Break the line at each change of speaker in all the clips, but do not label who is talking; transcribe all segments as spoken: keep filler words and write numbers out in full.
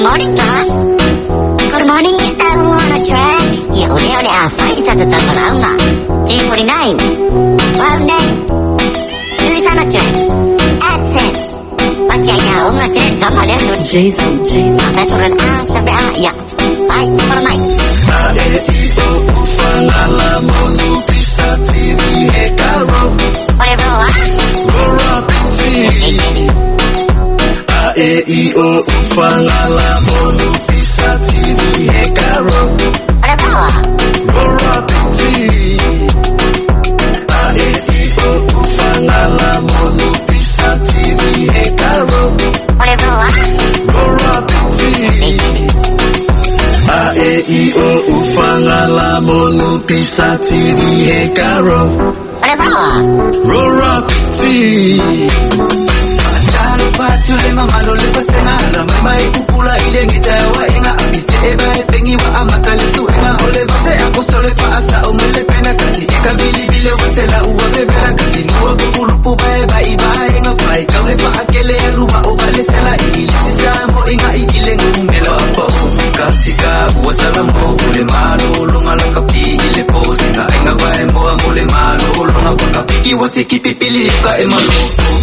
Good morning, class. Good morning, Mister Umu on the track. Ya, ole ole a fai ta ta ta launga. T forty-nine. Wow, nine. Who's on the track? Accent. Pakai ya, unga te tama le su.
Jason, Jason.
Afet ran a, sabe a, ya. Ai, follow my.
A E I O U fa la la monu pisa T V he karo.
Ole bro, ah.
Rora piti. A E I O U fa la la monu pisa T V he karo.
Ole bro, ah.
Rora piti. A E I O U fa la la monu pisa T V he karo.
Ole bro, ah.
Rora piti. A E I O U fa la la monu pisa T V he karo.
Ole bro, ah.
Rora piti.
Talo fatule mamalo le pasena la mama e pupula ile ngita wa inga abise e ba e pengi wa amakale su inga ole base akosole fa asa o mele pena kasi e ka bili bile wa sela uwa bebela kasi nuwa bukulupu ba e ba iba inga fai kaule fa akele aluwa o vale sela ili sisamo inga ile ngumelo apo kasi ka uwa salambo fule malo longa la kapi ile pose nga inga va e moa mole malo longa fa kapiki wa siki pipili ka e malo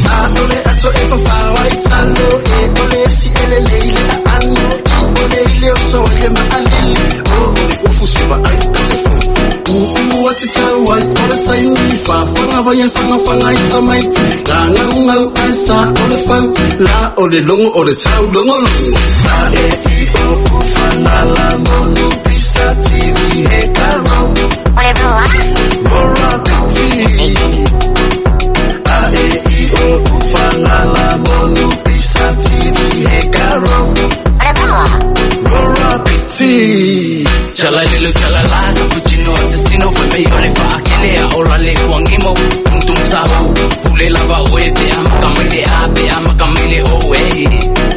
Atole ato e fa fa wa italo e ole si ele le ile ano i ole ile so ile ma alili o ole ufu si ba ai telefon u u wa ti ta wa ole tai mi fa fa nga va ye fa nga fa nga ita mai la nga nga ai sa ole fa la ole longo ole tau longo longo A E I O U fa la la monu pisa T V he karo
Ole bro, ah.
Rora piti. A E I O U fa la la monu pisa T V he karo.
Ole bro, ah.
Rora piti.
Chala lelo chala la cappuccino assassino fai meglio le fa akele a ola le kuangimo tum tum sahu pule lava oe pe amakamile a pe amakamile oe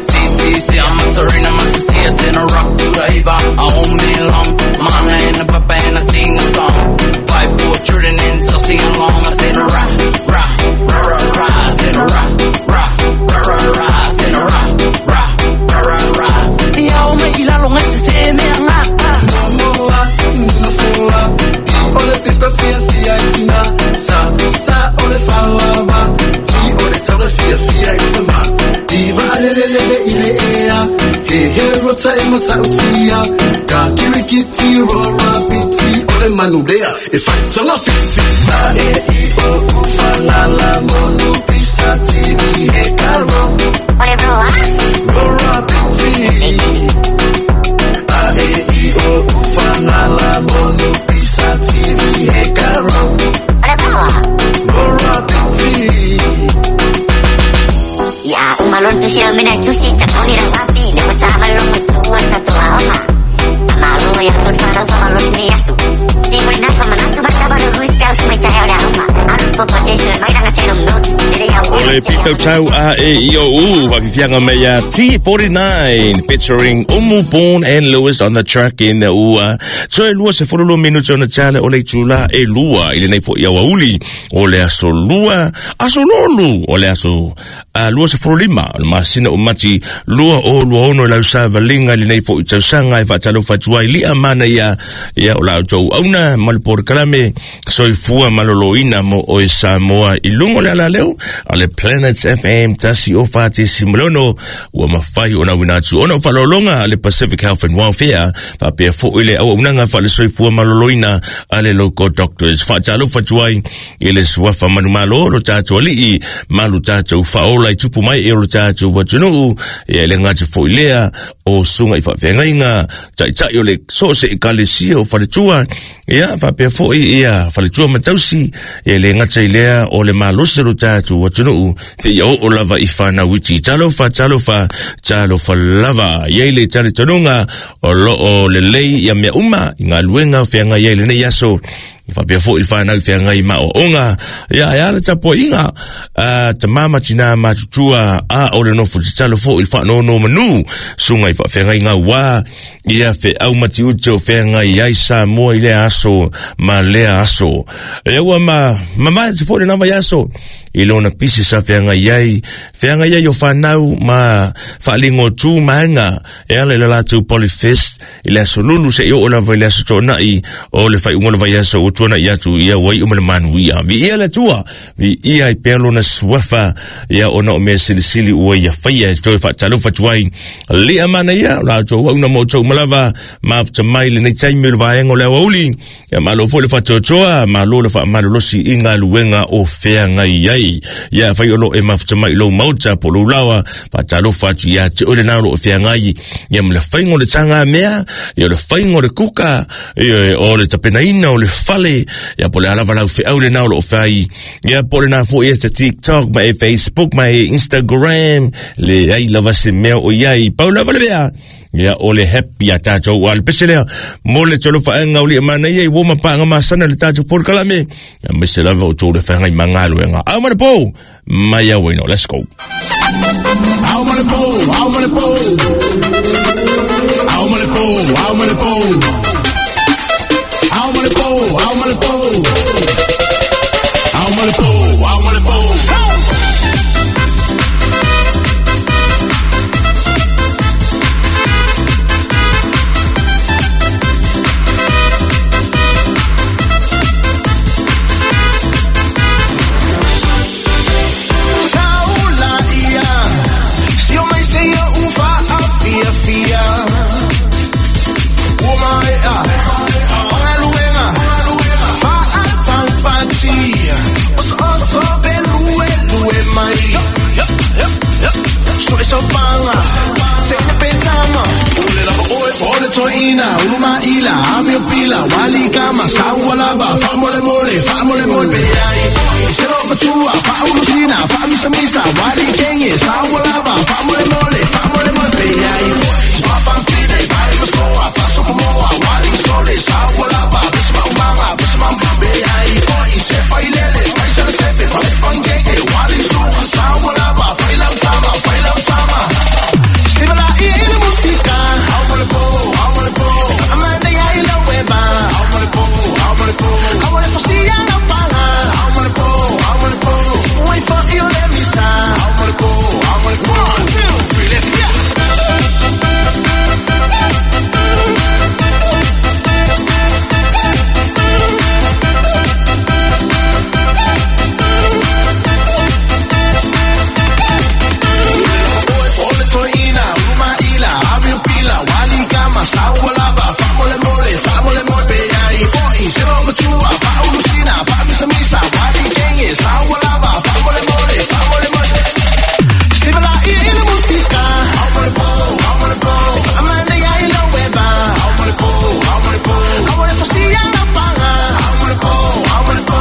si si si I'm a terrain I'm a si I send a rock to the eva I own me long mana and a papa and I sing a song five four children and so sing along I send a ra ra ra ra ra I send a ra ra ra ra ra I send a ra ra ra ra ra
Ya o me ilalo ngase se me anga
Moa, nofoa, i ole pito fia fia itima, sa sa ole fawa, ti ole tau fia fia itima, iva ale le le le ile ea, he he rota e mota utia, ka kirikiti rora piti ole manulea, e fai tonga fiti. A E I O U fa la la monu pisa T V he karo.
Ole bro, ah.
Rora piti. A E I O U fa la la monu pisa T V he karo.
Ole bro, ah.
Rora piti.
Ya, umalon tu sila mina chusi ta poni ra wapi le pata amalon tu wa ta tu ama. Amalu ya tu fa fa malu sni yasu. Si por na fa manatu ba ta ba ruis ka usme ta ole ama. Aru po po te mai langa se notes. Le ya
O le Pito Tau A E I O U Wafifianga Meia T forty-nine featuring Umu Born and Lewis on the track in the ua. So e lua se fololo minuto na tale o le tula e lua i le nei fo ia wauli o le aso lua aso lolu o le aso uh, lua se fololima o le masina o mati lua o lua ono lau sa valinga i le nei fo i tausanga e whaatalo whatua i lia mana ia ia o lau tau auna malipor kalame soifua maloloina mo o e Samoa i lungo le ala leo a le Planet F M tasi o whate simolono ua mawhai o na winatu ona o whalolonga a le Pacific Health and Welfare whapea fo ile au unanga wha le soifua maloloina a le local doctors whaatalo whatuai i le suafa manumalo lo tātou alii malu tātou whaola i tupu mai e o lo tātou watunuu e le ngāti fo ilea o sunga i whawhengainga taitai o le sose i kalesia o whaletua ia whapea fo i ia whaletua matausi e le ngata i lea o le malose lo tātou watunuu te ia o lava i whanawiti. Talofa, talofa, talofa lava. Ia ile tale tonunga o lo o le lei ia mea uma i ngā luenga o whianga ia ile nei aso. Faapea foʻi le fanau feagai ma oaoga. Ia e a le tapuaʻiga a tamā ma tinā matutua a o le nofo tatalo foʻi le faanonomanu suga i faafeagaiga uā ia feʻau matiute o feagai ai Samoa i lea aso ma lea aso. Ia ua ma mamae atu foʻi lenā vaiaso i lona pisi sa feagai ai feagai ai o fanau ma faaligo tu maega e ala i le latou Polyfest i le aso Lulu seʻi oo lava i le aso Toʻonaʻi o le faaiuga o le vaiaso ua tuanaʻi atu. Ia ua iʻu ma le manuia, viia le Atua, viia ai pea lona suafa, ia ona o mea silisili ua ia faia. E toe faatalofa atu ai lia mana ia o latou auauna mo outou uma lava mafuta mai lenei taimi o le vaega o le aoauli. Ia malo foi le faatoatoa, malo le faamalolosi i galuega o feagai ai. Ia fai o loo e mafuta mai i lou maota po lou laoa, faatalofa atu ia te oe lenā o loo feagai ia ma le faiga o le tagamea, ia o le faiga o le kuka, ia o le tapenaina o le fale, ia po le alava lau feau lenā o loo fai, ia po lenā foʻi e te TikTok ma e Facebook ma e Instagram, leai lava se mea o iai, pau lava le mea ia o le happy a tatou a le pese lea mo le tolofaʻega o lia manaia i ua mapaaga masana le tatou polokalame ia maise lava o tou le feagai ma galuega ao ma le pou mai auaino. Let's go.
Ao ma le pou, ao ma le pou. Ao ma le pou, ao ma le pou. Ao ma le pou, ao ma le pou. Ao ma le pou, ao ma le pou. Saula ia, si o mai se ia ufa a fia fia. Ua mai a, o galuega, fa a taupati. Oso oso pe lue lue mai. So e so panga, te ne pe tama. Ule lava oe po le toina, ulu maila, ame o pila, wali kama, saua lava, fa mole mole, fa mole mole. Ai, se lo patua, fa ulusina, fa misa misa, wali kenye, saua lava, fa mole mole, fa mole mole. Ai, fa pampine, fa masoa, fa sokomoa, wali sole, saua lava, bisma umanga, bisma be ai, se fa ilele, fa isale sefe, fa le pangenge, wali suka, saua lava, fa ilau tama, fa ilau tama. Sibala i ile musika, au mole po, au mole po. Amanda ya ila weba, au mole po, au mole po. Au mole fosia na panga, au mole po, au mole po. Wai fa ile misa, au mole po, au mole po. One, two, three, let's go. Ole toina, ulu maila, ame o pila, wali kama, saua lava, fa mole mole, fa mole mole. Ai, foi, se lo matua, fa ulusina, fa misa misa, wali kenye, saua lava, fa mole mole, fa mole mole. Sibala i ile musika, au mole po, au mole po. Amanda ya ila weba, au mole po, au mole po. Au mole fosia na panga, au mole po, au mole po.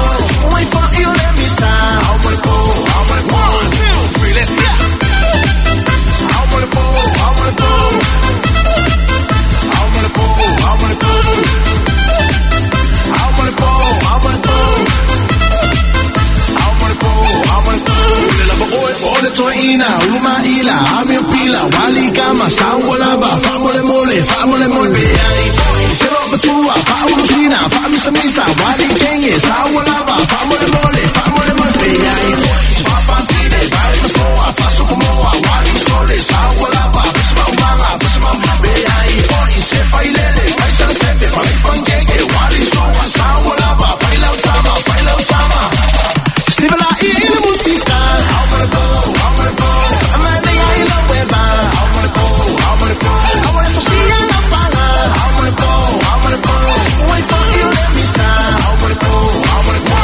Wai fa ile misa, au mole po, au mole po. One, two, three, let's go. Au mole po, au mole po. Au mole po, au mole po. Au mole po, au mole po. Au mole po, au mole po. Ule lava oe po le toina, ulu maila, ame o pila, wali kama, saua lava, fa mole mole, fa mole mole. Ai, se lo patua, fa ulusina, fa misa misa, wali kenye, saua lava, fa mole mole, fa mole mole. Ai, fa pampine, fa masoa, fa sokomoa, wali sole, saua lava, bisma umanga, bisma be ai, se fa ilele, fa isale sefe, fa le pangenge, wali soa, saua lava, fa ilau tama, fa ilau tama. Sibala i ile musika, au mole po, au mole po. Amanda ya ila weba, au mole po, au mole po. Au mole fosia na panga, au mole po, au mole po. Wai fa ile misa, au mole po, au mole po.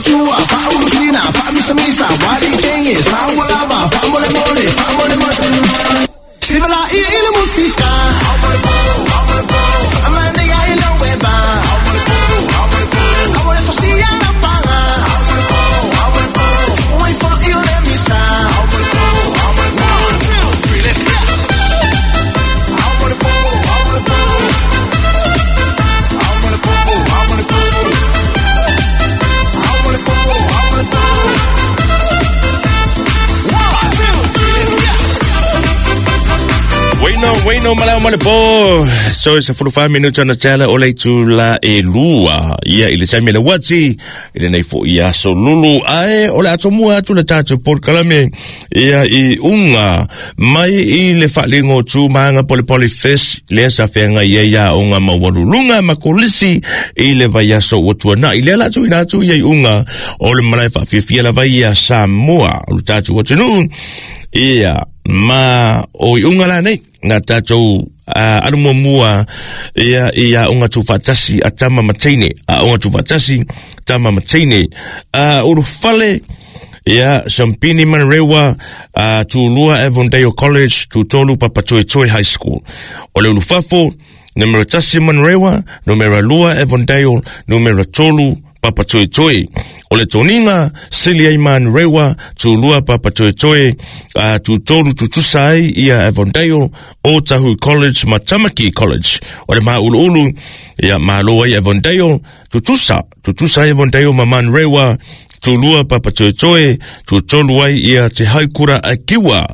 Fa'amatua, fa'aulufina, fa'amisamisa, walikenge, sawalava, fa'amolemole, fa'amolemole. Sivala'i i le musika, fa'amanaia i lau eva, aua le fosia na paga, tu'u ai fo'i o le misa. One, two, three, let's go. I wanna go, I wanna go. I wanna go, I wanna go. I wanna go, I wanna go. One, two, three, let's go.
Waino, waino, malao male po. So, sa fulu fa minuta na tala o le tula e lua. Ia, i le taimi le wati, i le nei fo ia so lulu. Ae, o le ato mua atu le tātou porkalame. Ia, i unga, mai i le whalingo tū maanga pole pole fish, lea sa whenga ia ia unga mawalulunga makolisi, i le vai aso watua na. I le ala atu ina atu ia i unga, o le malae whawhiwhia la vai ia Samoa, o le tātou watunu. Ia, ma o i unga la nei, ngā tātou uh, alu mua ia ia unga tūwhatasi a tama mateine, a unga tūwhatasi tama mateine. Uh, uru fale, ia, Sampini Manurewa, uh, Tūlua Avondale College, Tūtolu Papatoetoe High School. O le ulufafo, numero tasi Manurewa, numero lua Avondale, numero tolu Papatoetoe. O le toninga, Silia Manurewa, Tūlua Papatoetoe, uh, Tūtolu Tutusa ai ia Avondale, Otahu College, Matamaki College. O le mauluulu, ia malo ai Avondale, Tutusa, Tutusa ai Avondale ma Manurewa, Tūlua Papatoetoe, Tūtolu ai ia Te Haikura a Kiwa.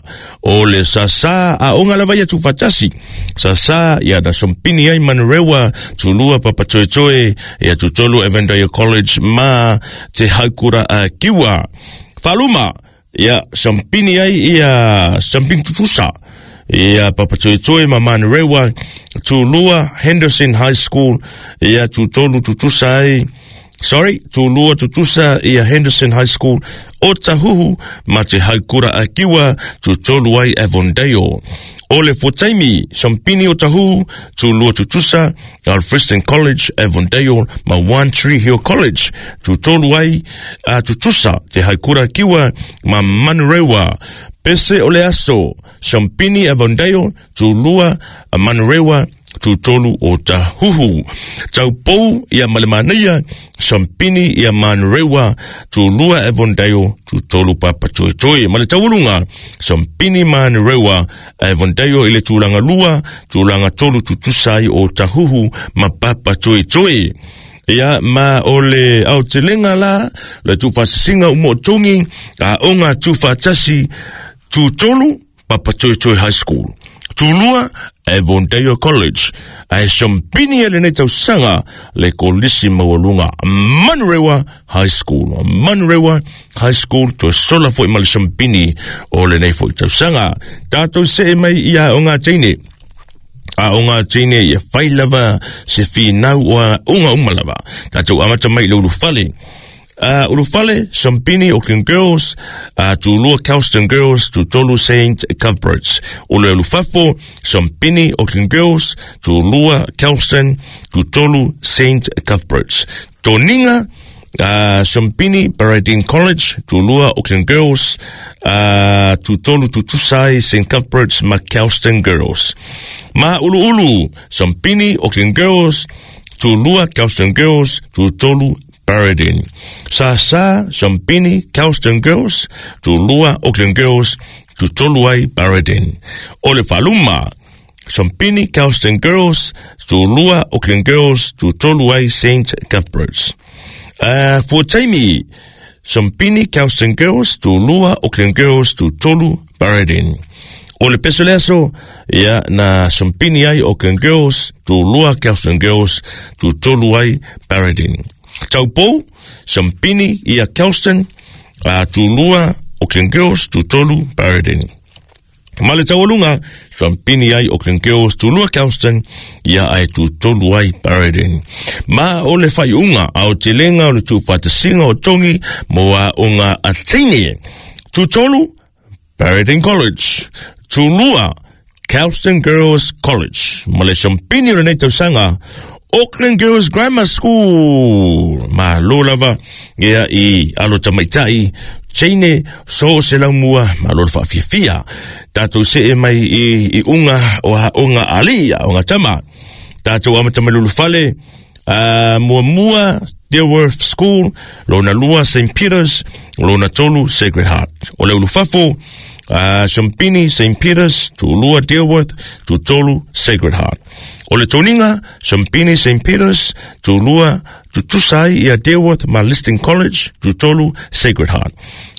O le sasa a onga lava ia tūwhatasi. Sasa ia na sompini ai Manurewa, Tūlua Papatoetoe, ia Tūtolu Avondale College ma Te Haikura a Kiwa. Whaluma, ia sompini ai ia sompini tutusa. Ia Papatoetoe ma Manurewa, Tūlua Henderson High School, ia Tūtolu Tutusa ai. Sorry, Tūlua Tutusa ia Henderson High School, Otahuhu, ma Te Haikura a Kiwa, Tūtolu ai Avondale. O le Fotaimi, Sampini Otahuhu, Tūlua Tutusa, Alfriston College, Avondale, ma One Tree Hill College, Tūtolu ai uh, Tutusa, Te Haikura a Kiwa, ma Manurewa. Pese o le aso, Sampini Avondale, Tūlua Manurewa, Tūtolu o Tahuhu. Taupou ia Malemanaia, Sampini ia Manurewa, Tūlua Avondale, Tūtolu Papatoetoe. Ma le taualunga, Sampini Manurewa, Avondale i le tūlanga lua, tūlanga tolu tutusai o Tahuhu ma Papatoetoe. Ia ma o le aotelenga la, le tūwhasisinga umo tongi, a onga tūwhatasi, Tūtolu Papatoetoe High School. Tūlua Avondale College. Ae Sampini e lenei tausaga le kolisi maualuga Manurewa High School. Manurewa High School toe sola foi ma le Sampini o lenei foi tausaga. Tātou se mai ia o ngā teine. A o ngā teine ia whai lava se whinau o a unga uma lava. Tātou amata mai le ulufale. Uh, Ulufale, Sampini, Auckland Girls, uh, Tūlua Kelston Girls, Tūtolu Saint Cuthberts. O le Ulufafo, Sampini, Auckland Girls, Tūlua Kelston, Tūtolu Saint Cuthberts. Toninga, uh, Sampini, Baradine College, Tūlua Auckland Girls, uh, Tūtolu Tutusai, Saint Cuthberts, ma Kelston Girls. Ma Uluulu, Sampini, Auckland Girls, Tūlua Kelston Girls, Tūtolu Baradine. Sasa, Sampini, Kelston Girls, Tūlua Auckland Girls, Tūtolu ai Baradine. O le Whaluma, Sampini, Kelston Girls, Tūlua Auckland Girls, Tūtolu ai Saint Cuthberts. Uh, Fuataimi, Sampini, Kelston Girls, Tūlua Auckland Girls, Tūtolu Baradine. O le peso leaso, ia na Sampini ai Auckland Girls, Tūlua Kelston Girls, Tūtolu ai Baradine. Taupou, Sampini ia Kelston, uh, Tūlua Auckland Girls, Tūtolu Baradine. Ma le taualunga, Sampini ai Auckland Girls, Tūlua Kelston, ia ai Tūtolu ai Baradine. Ma o le whaiunga, a o te lenga o le tūwhatasinga o tongi, mo a unga a teine. Tūtolu, Baradine College. Tūlua, Kelston Girls College. Ma le Sampini o le nei tausaga, Auckland Girls Grammar School. Malo lava ia i alo tamaitai Chine so se laumua malo le faafiafia. Tatou see mai i, i unga o aoga alii, aoga tama. Tatou amata mai Lulufale, uh, muamua Deerworth School, lona lua Saint Peters, lona tolu Sacred Heart. O le ulufafo, uh, Champini Saint Peters, tulua Deerworth, tutolu Sacred Heart. O le toniga, Champini Saint Peters, tulua tutusai ia Deerworth ma Liston College, tutolu Sacred Heart.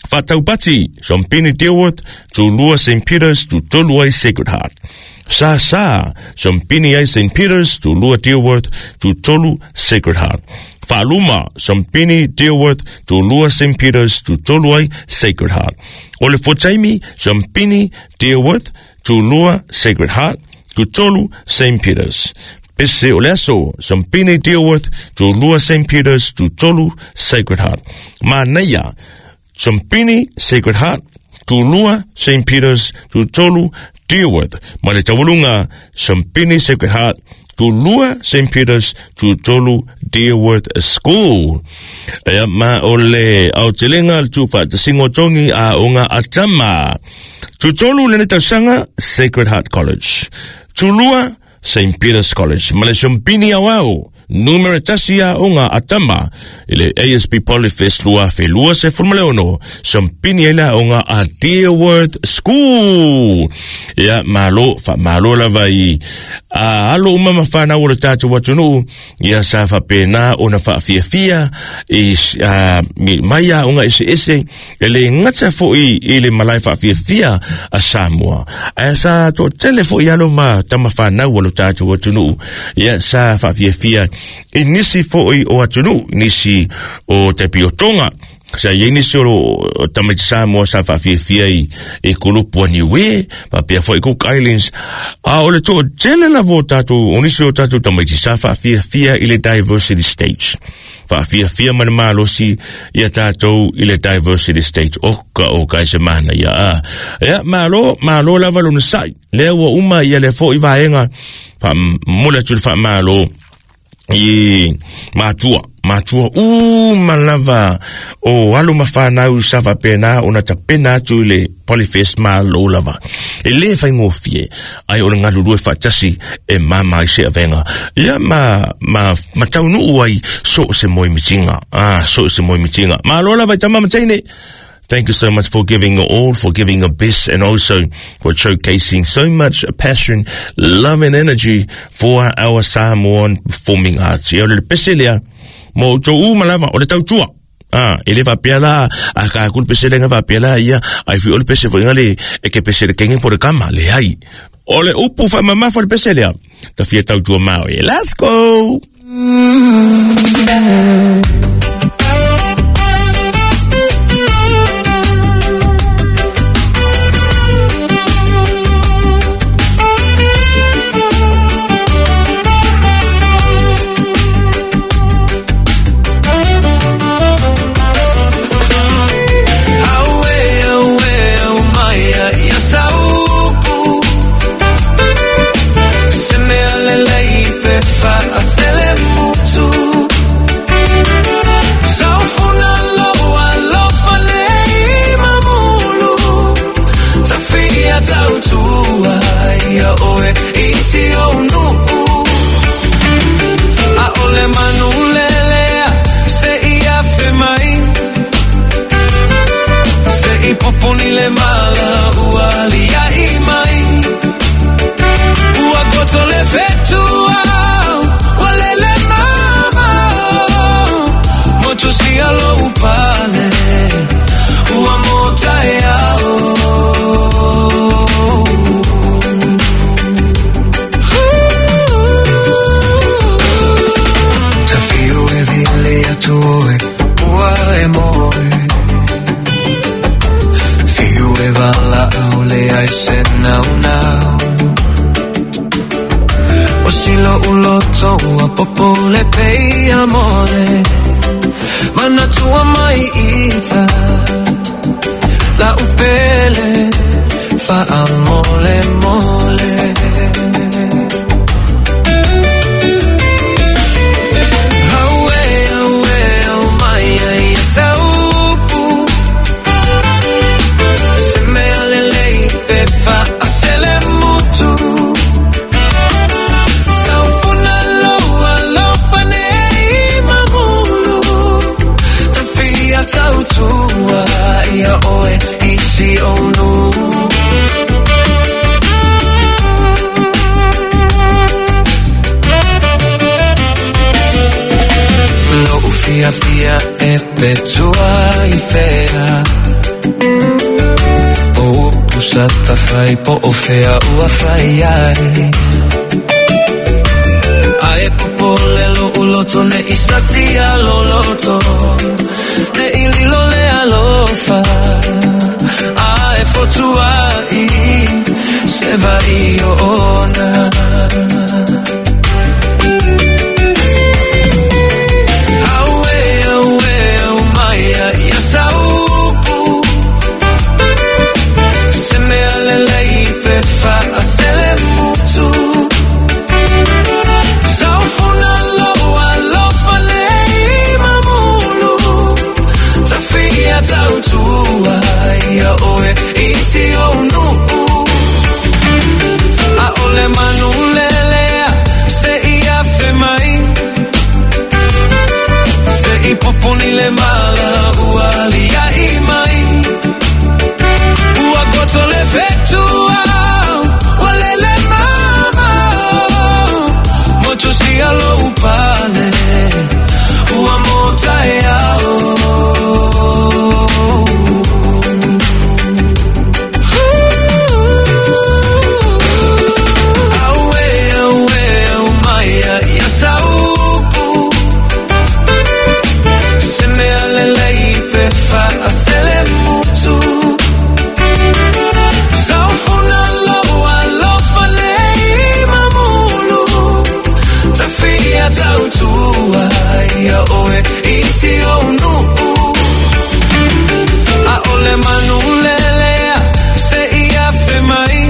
Fataupati, Champini Deerworth, tulua Saint Peters, tutolu ai Sacred Heart. Sa sa, Champini ai Saint Peters, tulua Deerworth, tutolu Sacred Heart. Faaluma, Champini Deerworth, tulua Saint Peters, tutolu ai Sacred Heart. O le fuataimi, Champini Deerworth, tulua Sacred Heart, tutolu Saint Peters. Pese o le aso, Champini Deerworth, tulua Saint Peters, tutolu Sacred Heart. Manaia, Champini Sacred Heart, tulua Saint Peters, tutolu Deerworth. Ma le taualunga, Champini Sacred Heart, tulua Saint Peters, tutolu Deerworth School. Ea ma o le aotelega le tuufaatasiga o togi aoga a tama. Tutolu lene tausaga Sacred Heart College. Tulua Saint Peters College. Ma le Champini auau, numera tasi aoga a tama i le A S P Polyfest lua afe lua sefulu ma le ono. Champini ai le aoga a Deerworth School. Ia malo, faamalo lava i a alo uma ma whanau o le tātou atunuu. Ia sa faapena ona faafiafia i a, mai aoga eseese e le gata foʻi i le malae faafiafia a Samoa. Ae sa toatele foʻi alo ma tama whanau o le tātou atunuu. Ia sa faafiafia i nisi foʻi o atunuu, nisi o te piotonga. Sa iai nisi o tamaiti Samoa sa faafiafia i, i kulupu a Niue, faapea foʻi Cook Islands. A o le toatele lava o tatou, o nisi o tatou tamaiti sa faafiafia i le diversity stage. Faafiafia ma le malosi ia tatou i le diversity stage. O ka o kai se mana ia a. Ia malo, malo lava lona sai. Lea ua uma ia le foʻi vaega faamole atu le faamalo i matua, matua uma lava o alo ma whanau sa faapena ona tapena atu i le Polyfest malo lava. E le faigofie ai o le galulue faatasi e mama ai se avega. Ia ma, ma, ma taunuu ai so se moemitiga. Ah, so se moemitiga. Malo lava i tama ma teine. Thank you so much for giving your all, for giving your best, and also for showcasing so much passion, love, and energy for our Samoan performing arts. Ia o le pese lea, mo tō uma lava, o le tautua. Ah, e le faapea la, a ka aku le pese lea nga faapea la, ia, ai fi o le pese foi nga le, e ke pese le kenge po le kama, le ai. O le upu faamamafa le pese lea, ta fia tautua maui. Let's go!
Mole, mole. ia oe isi onu. Lo'u fia fia e petua i fea, o upu sa tafai po o fea ua fai ai. Ae popole lo'u loto ne i satia loloto, ne i lilo le alofa, ae fotua i se vai o ona. Aue, aue, au maia ia saupu, se mea lelei pe faasele mutu. Saufuna loa alofa nei mamulu, tafia tautua ia oe isi onu. A ole manu lelea se ia fe mai, se i pupuni le mala ua lia i mai. Ua koto le fetua, ua lele mama, motu sia lo upale, ua mota e ao. Aue, aue, au maia ia saupu, se mea lelei pe faasele mutu. Saufuna loa alofa nei mamulu, tafia tautua ia oe isi onu. A ole manu lelea se ia fe mai,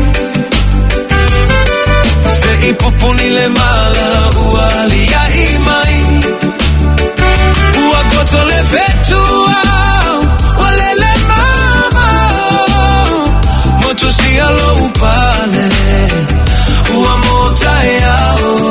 se i pupuni le mala ua lia i mai. Ua koto le fetua, ua lele mama, motu sia lo upale, ua mota e ao.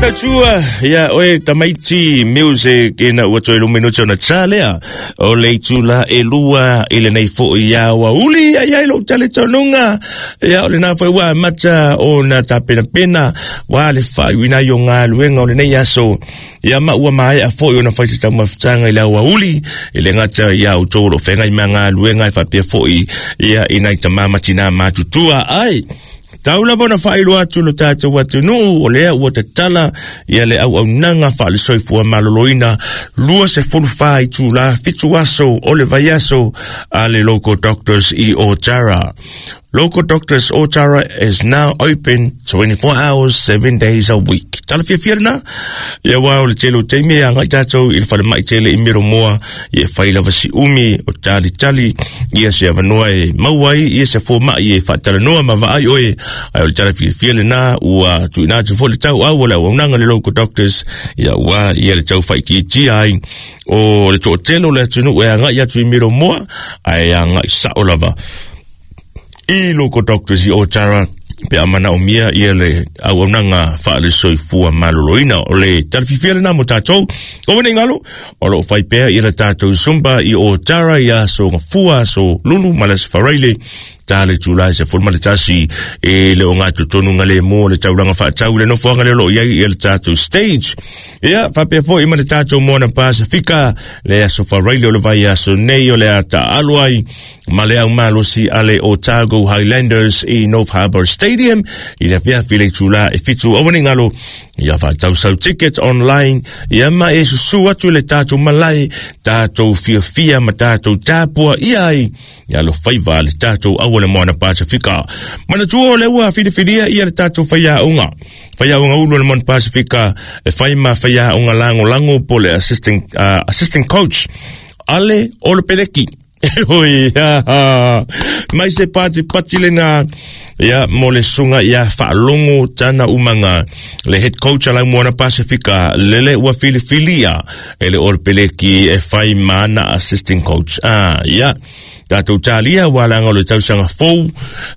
Tatua ia oe tamaiti music ina ua toe lumino tona tsalea o le itula e lua i lenei fo'i ia ua uli ai ai lou taletonunga ia o lena foi ua mata o na tapenapena wa le faaiuina ai o galuega o lenei aso ia ma ua maea fo'i ona fai se taumafutaga i le auauli i le gata ia outou o loo feagai ma galuega e faapea fo'i ia i nai tamā ma tinā matutua ai. Tau lava ona faailoa atu lo tatou atunuu o lea ua tatala ia le auaunaga faalesoifua maloloina lua sefulu fa itulā fitu aso o le vaiaso a le Local Doctors i Otara. Local Doctors Otara is now open twenty-four hours, seven days a week. Tala fiafia lena, ia wā o le tele o teime a ngai tātou i le whalemai tele i miro moa, ia whai lava si umi o tali tali, ia se avanoa e mauai, ia se fōma'i e whaatalanoa ma vaai oe, ai o le tala fiafia lena, ua tuina atu fo le tau au o le auaunaga le Local Doctors, ia wā ia le tau whaitiitia ai, o le to'atele o le atunuu e agai atu i miro moa, ai agai sa'o lava i Local Doctors i Otara pe a manaomia ia le auaunaga faalesoifua maloloina o le talafifia lena mo tatou o nei galo o loo fai pea ia le tatou Zumba i Otara ia aso gafua aso lulu ma le aso faraile ta le tulai se fulu ma le tasi e le o gatotonu ga lemo le taulaga faatau le nofoaga le o loo iai ia le tatou stage ia faapea fo'i ma le tatou Moana Pasifika le aso faraile o le vai aso nei o le a taalo ai ma le aumalosi a le Otago Highlanders i North Harbour Stadium i le afiafi le itulā e fitu aua nei galo ia faatausau ticket online ia ma e susu atu le tatou malae tatou fiafia ma tatou tapua ia ai ia alofaiva le tatou aua le Moana Pasifika. Manatua o le ua filifilia ia le tatou faiaoga faiaoga ulu o le Moana Pasifika e fai ma faiaoga lagolago po le assistant, uh, assistant coach ale o le Peleki. Oi, ha, mai se pati pati lena ia mo le suga ia faalogo tana umaga le head coach a lau Moana Pasifika lele ua filifilia e le Ole Peleki e fai ma ana assistant coach. Ah, ia Tatou talia ua laga o le tausaga fou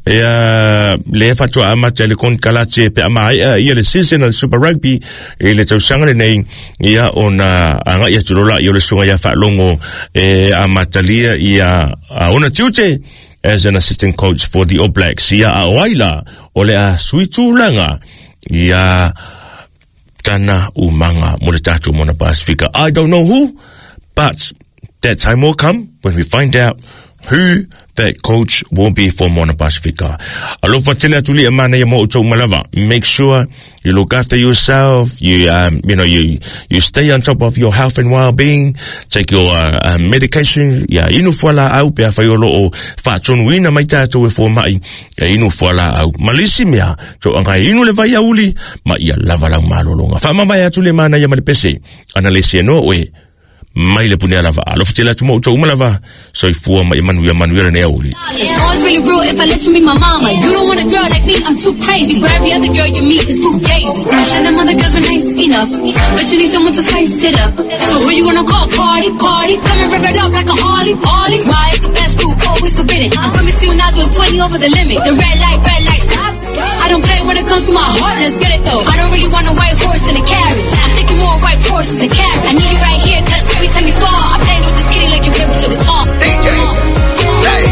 ia le faatoa amata le konekarate pe a maea ia le season o le Super Rugby i le tausaga lenei ia ona agai atu loa lea o le susuga ia Faalogo e amatalia ia ona tiute as an assistant coach for the All Blacks. Ia a o ai la o le a sui tulaga ia tana umaga mo le tatou Moana Pasifika. I don't know who, but that time will come when we find out who that coach will be for Moana Pasifika. Alofa tele atu le mana ia mo outou uma lava. Make sure you look after yourself. You, um, you know, you, you stay on top of your health and well-being. Take your uh, uh, medication. Ia inu fualaau pe afai o lo o faatonuina mai tatou e fomai. Ia inu fualaau. Malisi mea, to anga inu le vai auli, ma ia lava lau malolonga. Faamavae atu le mana ia ma le pese. Ana le se no oe. Mai le pune lava. Alofa tele atu mo outou uma lava. Soifua ma ia manuia manuia lenei aoauli.
No, it's really real if I let you meet my mama. You don't want a girl like me, I'm too crazy. But every other girl you meet is too gazy. I'm sure them other girls were nice enough, but you need someone to spice it up. So who you gonna call? Party, party. Come and rev it up like a Harley, Harley. Why is the best food always forbidden? I'm coming to you now, doing twenty over the limit. The red light, red light, stop. I don't play when it comes to my heart, let's get it though. I don't really want a white horse in a carriage. I'm thinking more white horses and carriage. I need you right here, cause every time you fall, I play with this kitty like you play with your guitar.
D J, hey.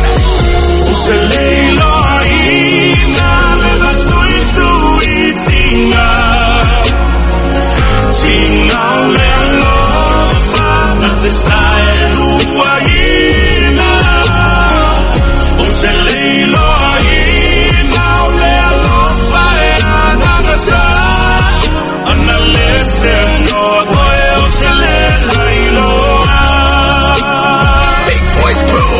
Big Boys Crew.